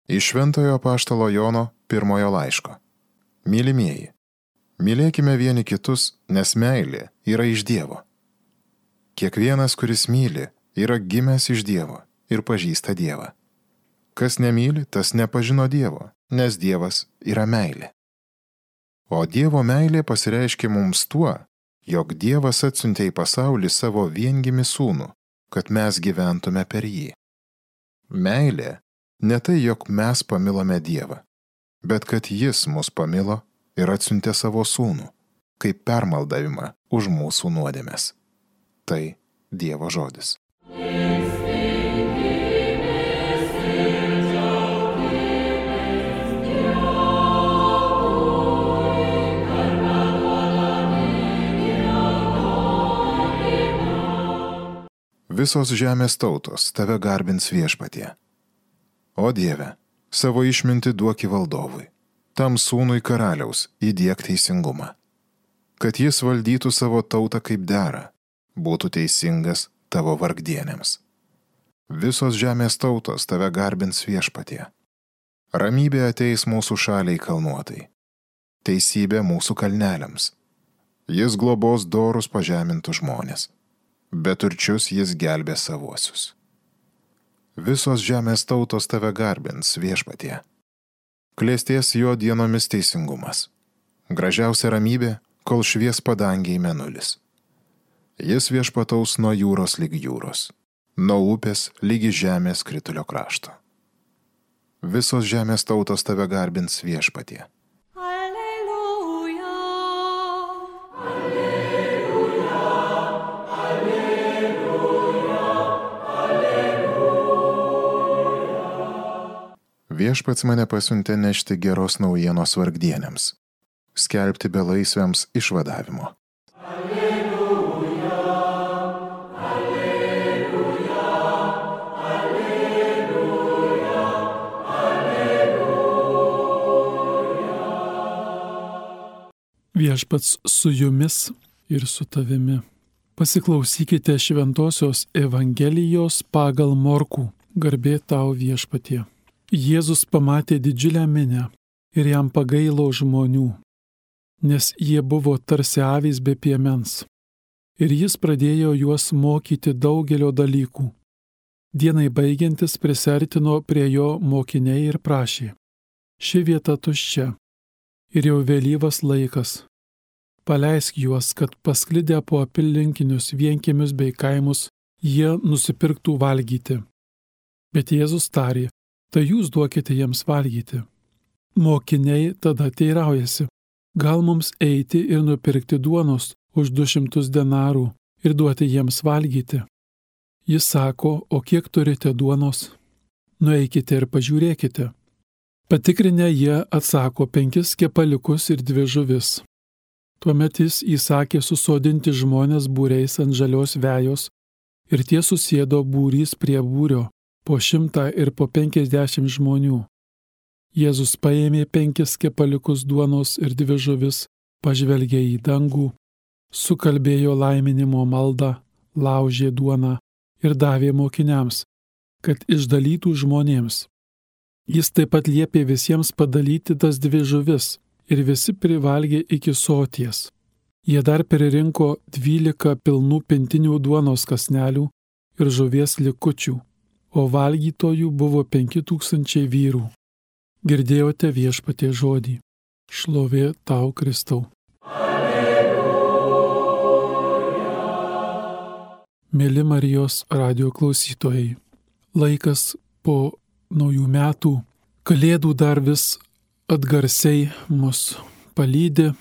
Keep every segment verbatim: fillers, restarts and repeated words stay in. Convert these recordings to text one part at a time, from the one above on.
Iš Šventojo apaštalo Jono pirmojo laiško. Mylimieji, mylėkime vieni kitus, nes meilė yra iš Dievo. Kiekvienas, kuris myli, yra gimęs iš Dievo ir pažįsta Dievą. Kas nemyli, tas nepažino Dievo, nes Dievas yra meilė. O Dievo meilė pasireiškia mums tuo, jog Dievas atsiuntė į pasaulį savo viengimį sūnų, kad mes gyventume per jį. Meilė ne tai, jog mes pamilome Dievą, bet kad Jis mus pamilo ir atsiuntė savo sūnų, kaip permaldavimą už mūsų nuodėmes. Tai Dievo žodis. Visos žemės tautos tave garbins Viešpatie. O Dieve, savo išmintį duoki valdovui, tam sūnui karaliaus įdiek teisingumą, kad jis valdytų savo tautą kaip dera, būtų teisingas tavo vargdienėms. Visos žemės tautos tave garbins Viešpatie. Ramybė ateis mūsų šaliai kalnuotai, teisybė mūsų kalneliams. Jis globos dorus pažemintų žmonės, bet turčius jis gelbė savuosius. Visos žemės tautos tave garbins Viešpatie. Klėsties jo dienomis teisingumas. Gražiausia ramybė, kol švies padangiai mėnulis. Jis viešpataus nuo jūros lyg jūros, nuo upės lygi žemės kritulio krašto. Visos žemės tautos tave garbins Viešpatie. Alleluja. Alleluja. Alleluja. Alleluja. Viešpats mane pasiuntė nešti geros naujienos vargdienėms, skelbti belaisviams išvadavimo. Alleluja. Alleluja. Alleluja. Alleluja. Viešpats su jumis ir su tavimi. Pasiklausykite šventosios Evangelijos pagal Morkų. Garbė tau Viešpatie. Jėzus pamatė didžiulę minią ir jam pagailo žmonių, nes jie buvo tarsi avys be piemens. Ir jis pradėjo juos mokyti daugelio dalykų. Dienai baigiantis prisertino prie jo mokiniai ir prašė: ši vieta tuščia ir jau vėlyvas laikas. Paleisk juos, kad pasklidę po apylinkinius vienkiemius bei kaimus jie nusipirktų valgyti. Bet Jėzus tarė: tai jūs duokite jiems valgyti. Mokiniai tada teiraujasi: gal mums eiti ir nupirkti duonos už du šimtus denarų ir duoti jiems valgyti? Jis sako: o kiek turite duonos? Nueikite ir pažiūrėkite. Patikrinę jie atsako: penkis kepaliukus ir dvi žuvis. Tuomet jis įsakė susodinti žmonės būriais ant žalios vejos ir tie susėdo būrys prie būrio, po šimtą ir po penkiasdešimt žmonių. Jėzus paėmė penkis kepaliukus duonos ir dvi žuvis, pažvelgė į dangų, sukalbėjo laiminimo maldą, laužė duoną ir davė mokiniams, kad išdalytų žmonėms. Jis taip pat liepė visiems padalyti tas dvi žuvis ir visi privalgė iki soties. Jie dar pririnko dvylika pilnų pintinių duonos kąsnelių ir žuvies likučių, o valgytojų buvo penki tūkstančiai vyrų. Girdėjote Viešpatie žodį. Šlovė tau, Kristau. Alleluja. Mėly Marijos radijo klausytojai, laikas po naujų metų, kalėdų dar vis atgarsiai mus palydi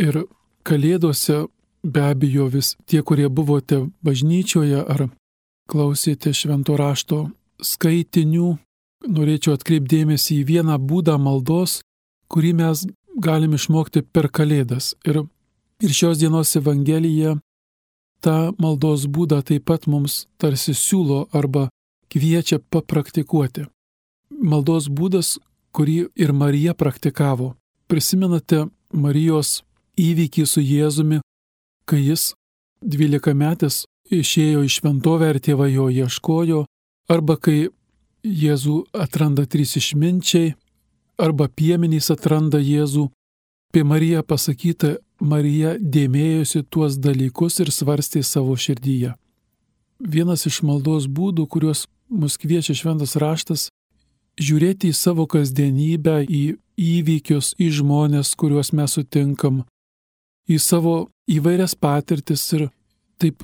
ir kalėdose be abejo vis tie, kurie buvote bažnyčioje ar klausėte švento rašto skaitinių, norėčiau atkreipdėmėsi į vieną būdą maldos, kurį mes galim išmokti per kalėdas. Ir, ir šios dienos Evangelija tą maldos būdą taip pat mums tarsi siūlo arba kviečia papraktikuoti. Maldos būdas, kurį ir Marija praktikavo. Prisimenate Marijos įvykį su Jėzumi, kai jis dvylikametis išėjo į šventovę ir tėvai jo ieškojo, arba kai Jėzų atranda trys išminčiai, arba piemenys atranda Jėzų. Apie Mariją pasakyta, Marija dėmėjosi tuos dalykus ir svarstė savo širdyje. Vienas iš maldos būdų, kuriuos mus kviečia šventas raštas, žiūrėti į savo kasdienybę, į įvykius, į žmonės, kuriuos mes sutinkam, į savo įvairias patirtis ir taip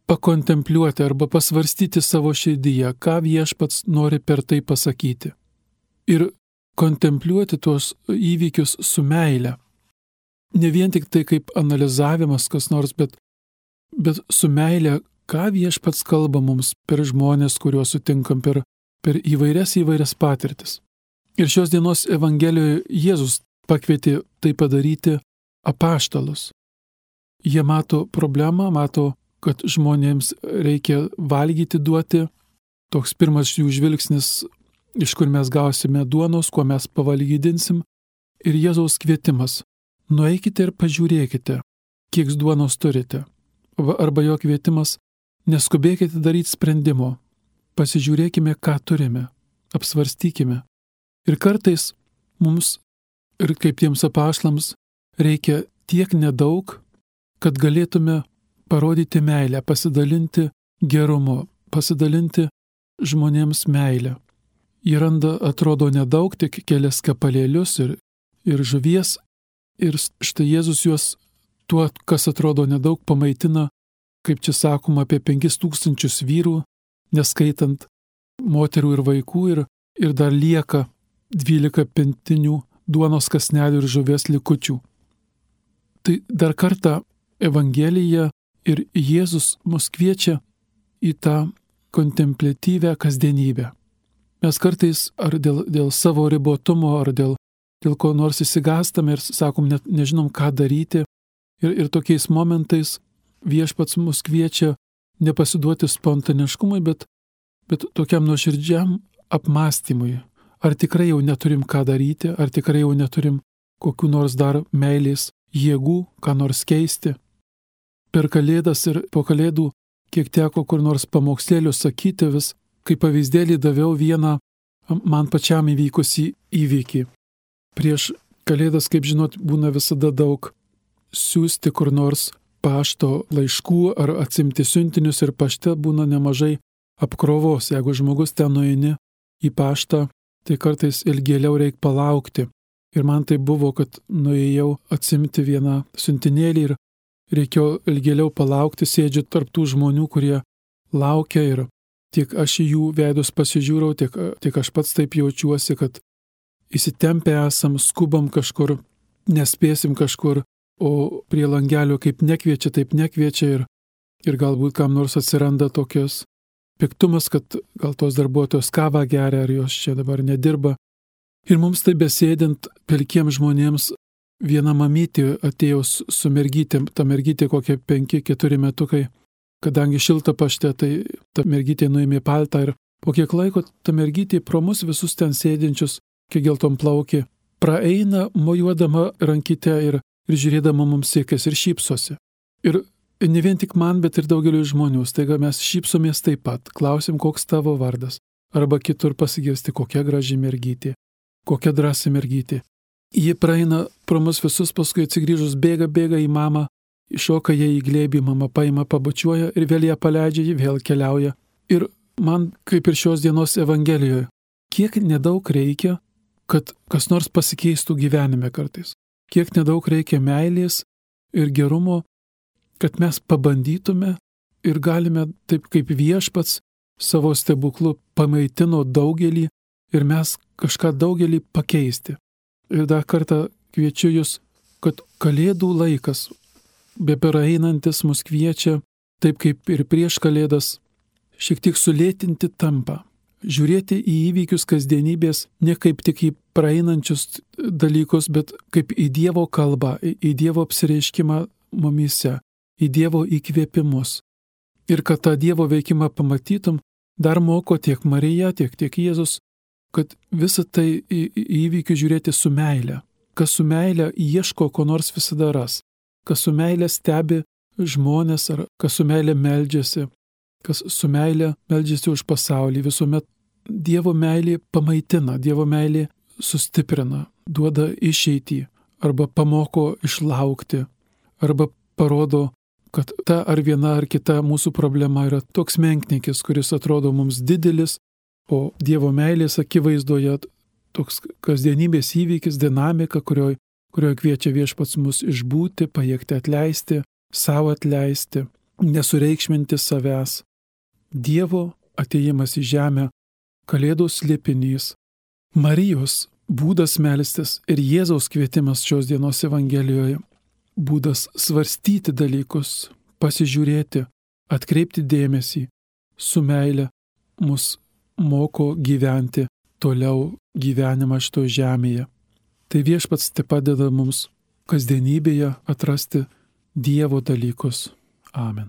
pakontempliuoti arba pasvarstyti savo širdyje, ką viešpats nori per tai pasakyti. Ir kontempliuoti tuos įvykius su meile. Ne vien tik tai kaip analizavimas kas nors, bet, bet su meile, ką viešpats kalba mums per žmonės, kuriuos sutinkam, per, per įvairias įvairias patirtis. Ir šios dienos Evangelijoje Jėzus pakvietė tai padaryti apaštalus. Jie mato problemą, mato, kad žmonėms reikia valgyti duoti. Toks pirmas jų žvilgsnis, iš kur mes gausime duonos, kuo mes pavalgydinsim. Ir Jėzaus kvietimas. Nueikite ir pažiūrėkite, kiek duonos turite. Arba jo kvietimas, neskubėkite daryti sprendimo. Pasižiūrėkime, ką turime. Apsvarstykime. Ir kartais mums, ir kaip tiems apaštalams, reikia tiek nedaug, kad galėtume parodyti meilę, pasidalinti gerumu, pasidalinti žmonėms meilę. Jie randa, atrodo, nedaug, tik kelias kepalėlius ir, ir žuvies, ir štai Jėzus juos tuo, kas atrodo nedaug, pamaitina, kaip čia sakoma, apie penkis tūkstančius vyrų, neskaitant moterų ir vaikų, ir, ir dar lieka dvylika pintinių duonos kąsnelių ir žuvies likučių. Tai dar kartą Evangelija ir Jėzus mus kviečia į tą kontempliatyvę kasdienybę. Mes kartais ar dėl, dėl savo ribotumo, ar dėl, dėl ko nors įsigąstame ir sakom, net nežinom, ką daryti. Ir, ir tokiais momentais viešpats mus kviečia nepasiduoti spontaniškumui, bet, bet tokiam nuoširdžiam apmąstymui. Ar tikrai jau neturim ką daryti, ar tikrai jau neturim kokių nors dar meilės jėgų, ką nors keisti. Per Kalėdas ir po Kalėdų, kiek teko kur nors pamokslėlius sakyti, vis kaip pavyzdėlį daviau vieną man pačiam įvykusį įvykį. Prieš Kalėdas, kaip žinot, būna visada daug siųsti kur nors pašto laiškų ar atsimti siuntinius ir pašte būna nemažai apkrovos. Jeigu žmogus ten nueini į paštą, tai kartais ilgėliau reikia palaukti. Ir man tai buvo, kad nuėjau atsimti vieną siuntinėlį ir reikėjo ilgėliau palaukti, sėdžiu tarp tų žmonių, kurie laukia ir tiek aš į jų veidus pasižiūrau, tiek, tiek aš pats taip jaučiuosi, kad įsitempę esam, skubam kažkur, nespėsim kažkur, o prie langelio kaip nekviečia, taip nekviečia ir, ir galbūt kam nors atsiranda tokios piktumas, kad gal tos darbuotojos kavą geria, ar jos čia dabar nedirba. Ir mums tai besėdint pelkiem žmonėms viena mamytė atėjo su mergytėm, ta mergytė kokie penki keturi metukai, kadangi šilta pašte, tai ta mergytė nuėmė paltą ir po kiek laiko ta mergytė pro mus visus ten sėdinčius, kiek geltom plaukė, praeina mojuodama rankyte ir, ir žiūrėdama mums siekės ir šypsosi. Ir ne vien tik man, bet ir daugeliu žmonių, staiga mes šypsomės taip pat, klausim, koks tavo vardas, arba kitur pasigirsti, kokia graži mergytė, kokia drąsi mergytė. Ji praeina pro mus visus, paskui atsigrįžus bėga, bėga į mamą, iššoka ją į glėbį, mama paima, pabučiuoja ir vėl ją paleidžia, ji vėl keliauja. Ir man, kaip ir šios dienos Evangelijoje, kiek nedaug reikia, kad kas nors pasikeistų gyvenime kartais. Kiek nedaug reikia meilės ir gerumo, kad mes pabandytume ir galime taip kaip viešpats savo stebuklu pamaitino daugelį ir mes kažką daugelį pakeisti. Ir dar kartą kviečiu jūs, kad Kalėdų laikas, bepraeinantis mus kviečia, taip kaip ir prieš Kalėdas, šiek tiek sulėtinti tampą, žiūrėti į įvykius kasdienybės ne kaip tik į praeinančius dalykus, bet kaip į Dievo kalbą, į Dievo apsireiškimą mumyse, į Dievo įkvėpimus. Ir kad tą Dievo veikimą pamatytum, dar moko tiek Marija, tiek, tiek Jėzus, kad visą tai į įvykių žiūrėti su meile. Kas su meile ieško, ko nors visada ras. Kas su meile stebi žmonės, ar kas su meile meldžiasi. Kas su meile meldžiasi už pasaulį, visuomet Dievo meilė pamaitina, Dievo meilė sustiprina, duoda išeitį, arba pamoko išlaukti, arba parodo, kad ta ar viena ar kita mūsų problema yra toks menkniekis, kuris atrodo mums didelis, o Dievo meilės akivaizdoje toks kasdienybės įvykis, dinamika, kurioje kurio kviečia viešpats mus išbūti, pajėgti atleisti, savo atleisti, nesureikšminti savęs. Dievo atėjimas į žemę, Kalėdos slėpinys, Marijos būdas melstis ir Jėzaus kvietimas šios dienos Evangelijoje, būdas svarstyti dalykus, pasižiūrėti, atkreipti dėmesį, su meile mus moko gyventi toliau gyvenimą šito žemėje. Tai viešpats te padeda mums kasdienybėje atrasti Dievo dalykus. Amen.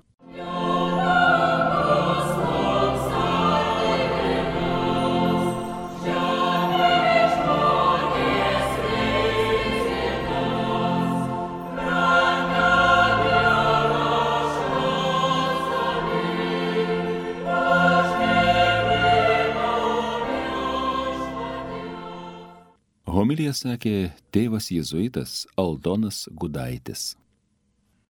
Homiliją sakė tėvas jėzuitas Aldonas Gudaitis.